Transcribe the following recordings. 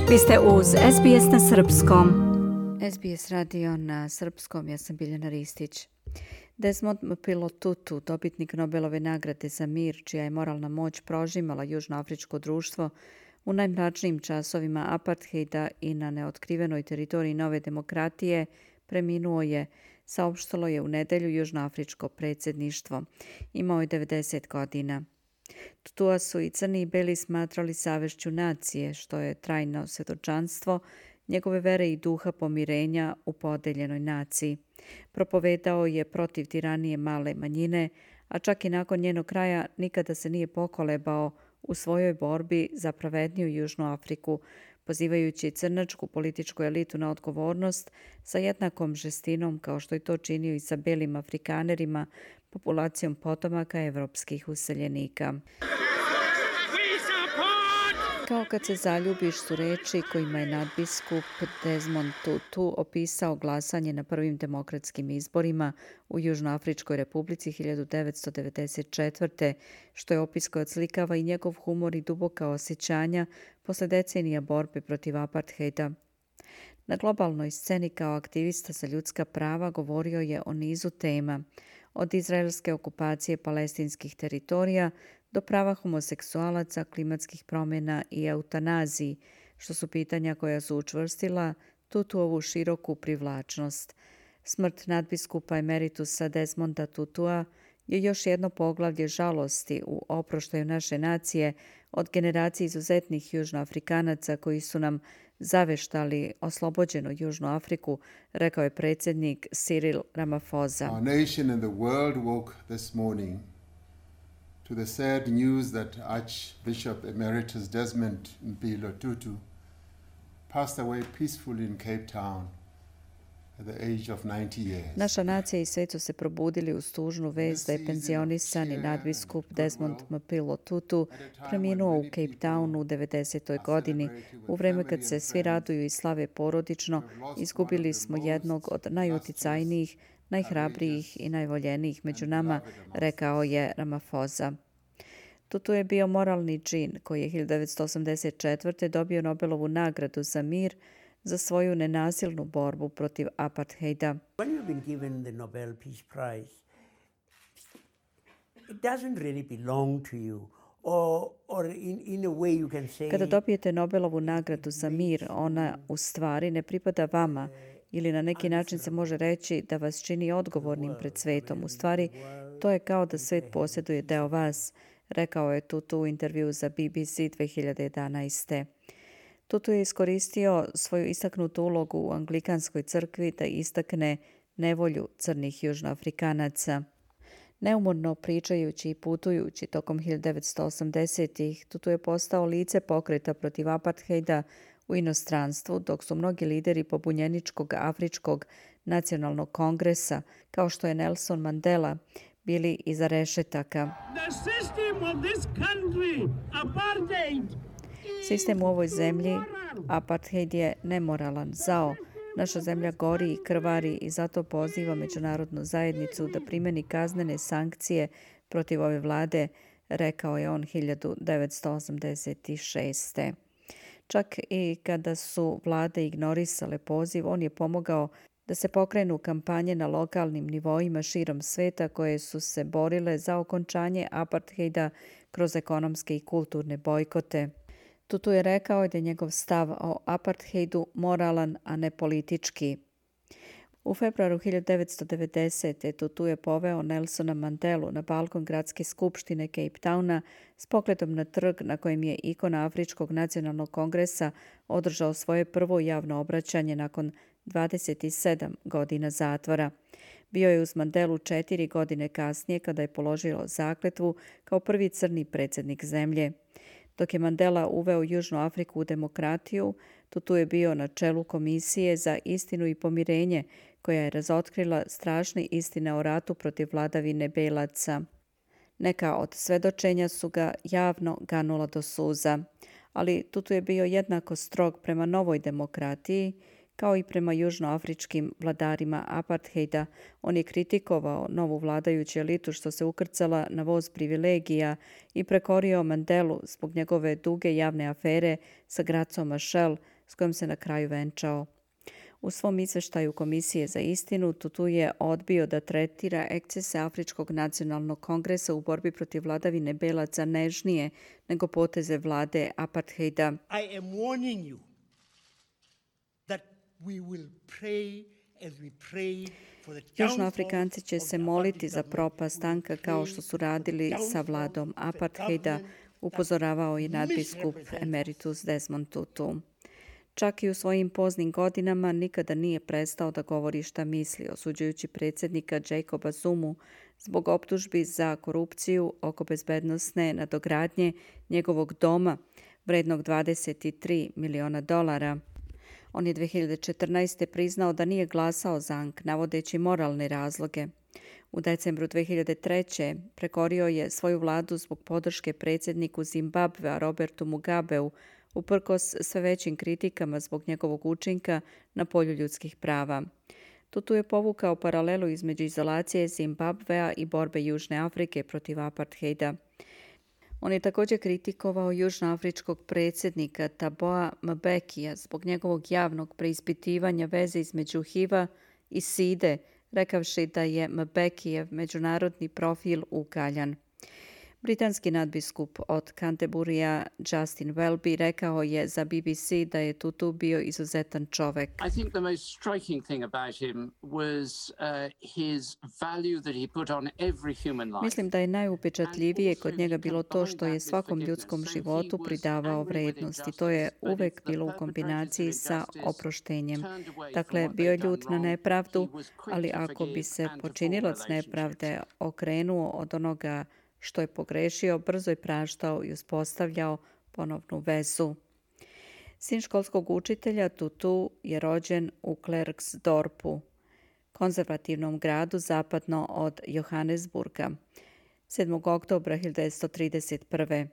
Vi ste uz SBS na srpskom. SBS radio na srpskom, ja sam Biljana Ristić. Desmond Tutu, dobitnik Nobelove nagrade za mir, čija je moralna moć prožimala južnoafričko društvo u najmračnijim časovima apartheida i na neotkrivenoj teritoriji nove demokratije, preminuo je, saopštilo je u nedelju južnoafričko predsjedništvo. Imao je 90 godina. Tutua su i crni i beli smatrali savešću nacije, što je trajno svjedočanstvo njegove vere i duha pomirenja u podeljenoj naciji. Propovedao je protiv tiranije male manjine, a čak i nakon njenog kraja nikada se nije pokolebao u svojoj borbi za pravedniju Južnu Afriku, pozivajući crnačku političku elitu na odgovornost sa jednakom žestinom kao što je to činio i sa belim Afrikanerima, populacijom potomaka evropskih useljenika. Kao kad se zaljubiš su reči kojima je nadbiskup Desmond Tutu opisao glasanje na prvim demokratskim izborima u Južnoafričkoj republici 1994. što je opis koji odslikava i njegov humor i duboka osjećanja posle decenija borbe protiv apartheida. Na globalnoj sceni kao aktivista za ljudska prava govorio je o nizu tema, od izraelske okupacije palestinskih teritorija do prava homoseksualaca, klimatskih promjena i eutanaziji, što su pitanja koja su učvrstila Tutuovu široku privlačnost. Smrt nadbiskupa emeritusa Desmonda Tutua je još jedno poglavlje žalosti u oproštaju naše nacije od generacije izuzetnih južnoafrikanaca koji su nam zaveštali oslobođenu Južnu Afriku, rekao je predsjednik Cyril Ramaphosa. Our nation and the world woke this morning to the sad news that Archbishop Emeritus Desmond Mpilo Tutu passed away peacefully in Cape Town at the age of 90 years. Naša nacija i svijet su se probudili uz tužnu vest da je penzionisani nadbiskup Desmond Mpilo Tutu preminuo u Cape Townu u 90. godini. U vreme kad se svi raduju i slave porodično, izgubili smo jednog od najuticajnijih, najhrabrijih i najvoljenijih među nama, rekao je Ramaphosa. Tutu je bio moralni džin koji je 1984. dobio Nobelovu nagradu za mir za svoju nenasilnu borbu protiv apartheida. When you've been given the Nobel Peace Prize, it doesn't really belong to you. Or in a way you can say, Kada dobijete Nobelovu nagradu za mir, ona u stvari ne pripada vama ili na neki način se može reći da vas čini odgovornim pred svetom. U stvari, to je kao da svet posjeduje deo vas, rekao je Tutu u intervju za BBC 2011. Tutu je iskoristio svoju istaknutu ulogu u Anglikanskoj crkvi da istakne nevolju crnih južnoafrikanaca. Neumorno pričajući i putujući tokom 1980-ih, Tutu je postao lice pokreta protiv apartheida u inostranstvu, dok su mnogi lideri pobunjeničkog Afričkog nacionalnog kongresa, kao što je Nelson Mandela, bili iza rešetaka. Sistem u ovoj zemlji, apartheid je nemoralan, zao. Naša zemlja gori i krvari i zato poziva međunarodnu zajednicu da primeni kaznene sankcije protiv ove vlade, rekao je on 1986. Čak i kada su vlade ignorisale poziv, on je pomogao da se pokrenu kampanje na lokalnim nivoima širom sveta koje su se borile za okončanje apartheida kroz ekonomske i kulturne bojkote. Tutu je rekao da je njegov stav o apartheidu moralan, a ne politički. U februaru 1990. Tutu je poveo Nelsona Mandelu na balkon gradske skupštine Cape Towna s pogledom na trg na kojem je ikona Afričkog nacionalnog kongresa održao svoje prvo javno obraćanje nakon 27 godina zatvora. Bio je uz Mandelu 4 godine kasnije kada je položio zakletvu kao prvi crni predsjednik zemlje. Dok je Mandela uveo Južnu Afriku u demokratiju, Tutu je bio na čelu Komisije za istinu i pomirenje, koja je razotkrila strašne istine o ratu protiv vladavine belaca. Neka od svedočenja su ga javno ganula do suza, ali Tutu je bio jednako strog prema novoj demokratiji, kao i prema južnoafričkim vladarima apartheida. On je kritikovao novu vladajuću elitu što se ukrcala na voz privilegija i prekorio Mandelu zbog njegove duge javne afere sa Gracom Machel, s kojom se na kraju venčao. U svom izveštaju Komisije za istinu Tutu je odbio da tretira ekscese Afričkog nacionalnog kongresa u borbi protiv vladavine belaca nežnije nego poteze vlade apartheida. I am warning you that we will pray as we pray for the downfall Južnoafrikanci će se moliti za propast tanka kao što su radili sa vladom apartheida, upozoravao je nadbiskup emeritus Desmond Tutu. Čak i u svojim poznim godinama nikada nije prestao da govori šta misli, osuđujući predsjednika Jacoba Zumu zbog optužbi za korupciju oko bezbednosne nadogradnje njegovog doma, vrednog $23 miliona. On je 2014. priznao da nije glasao za ANC, navodeći moralne razloge. U decembru 2003. prekorio je svoju vladu zbog podrške predsjedniku Zimbabvea Robertu Mugabeu, uprkos sve većim kritikama zbog njegovog učinka na polju ljudskih prava. Tutu je povukao paralelu između izolacije Zimbabvea i borbe Južne Afrike protiv apartheida. On je također kritikovao južnoafričkog predsjednika Taboa Mbekija zbog njegovog javnog preispitivanja veze između HIV-a i SIDE, rekavši da je Mbekijev međunarodni profil ukaljan. Britanski nadbiskup od Canterburya Justin Welby rekao je za BBC da je Tutu bio izuzetan čovek. I think the most striking thing about him was his value that he put on every human life. Mislim da je najupečatljivije kod njega bilo to što je svakom ljudskom životu pridavao vrednost i to je uvek bilo u kombinaciji sa oproštenjem. Dakle, bio je ljut na nepravdu, ali ako bi se počinilac nepravde okrenuo od onoga što je pogrešio, brzo je praštao i uspostavljao ponovnu vezu. Sin školskog učitelja Tutu je rođen u Klerksdorpu, konzervativnom gradu zapadno od Johannesburga, 7. oktobra 1931.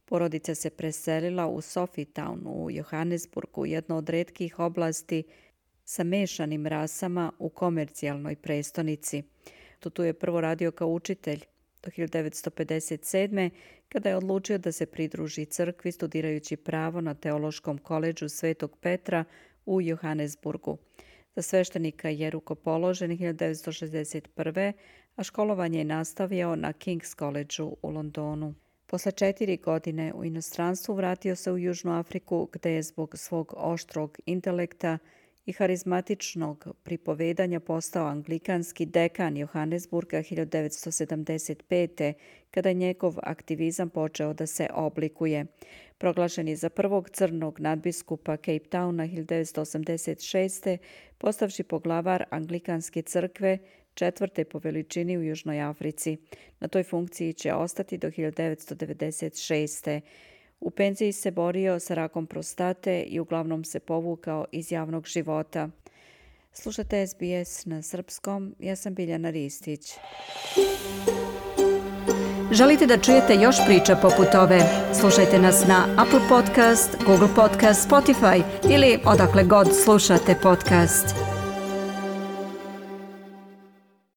Porodica se preselila u Sofietown u Johannesburgu, jedno od retkih oblasti sa mešanim rasama u komercijalnoj prestonici. Tutu je prvo radio kao učitelj do 1957. kada je odlučio da se pridruži crkvi studirajući pravo na Teološkom koledžu Svetog Petra u Johannesburgu. Za sveštenika je rukopoložen 1961. a školovanje je nastavio na King's Collegeu u Londonu. Posle 4 godine u inostranstvu vratio se u Južnu Afriku gde je zbog svog oštrog intelekta i harizmatičnog pripovedanja postao anglikanski dekan Johannesburga 1975. kada je njegov aktivizam počeo da se oblikuje. Proglašen je za prvog crnog nadbiskupa Cape Towna 1986. postavši poglavar anglikanske crkve, 4. po veličini u Južnoj Africi. Na toj funkciji će ostati do 1996. U penziji se borio sa rakom prostate i uglavnom se povukao iz javnog života. Slušate SBS na srpskom, ja sam Biljana Ristić. Želite da čujete još priča poput ove? Slušajte nas na Apple Podcast, Google Podcast, Spotify ili odakle god slušate podcast.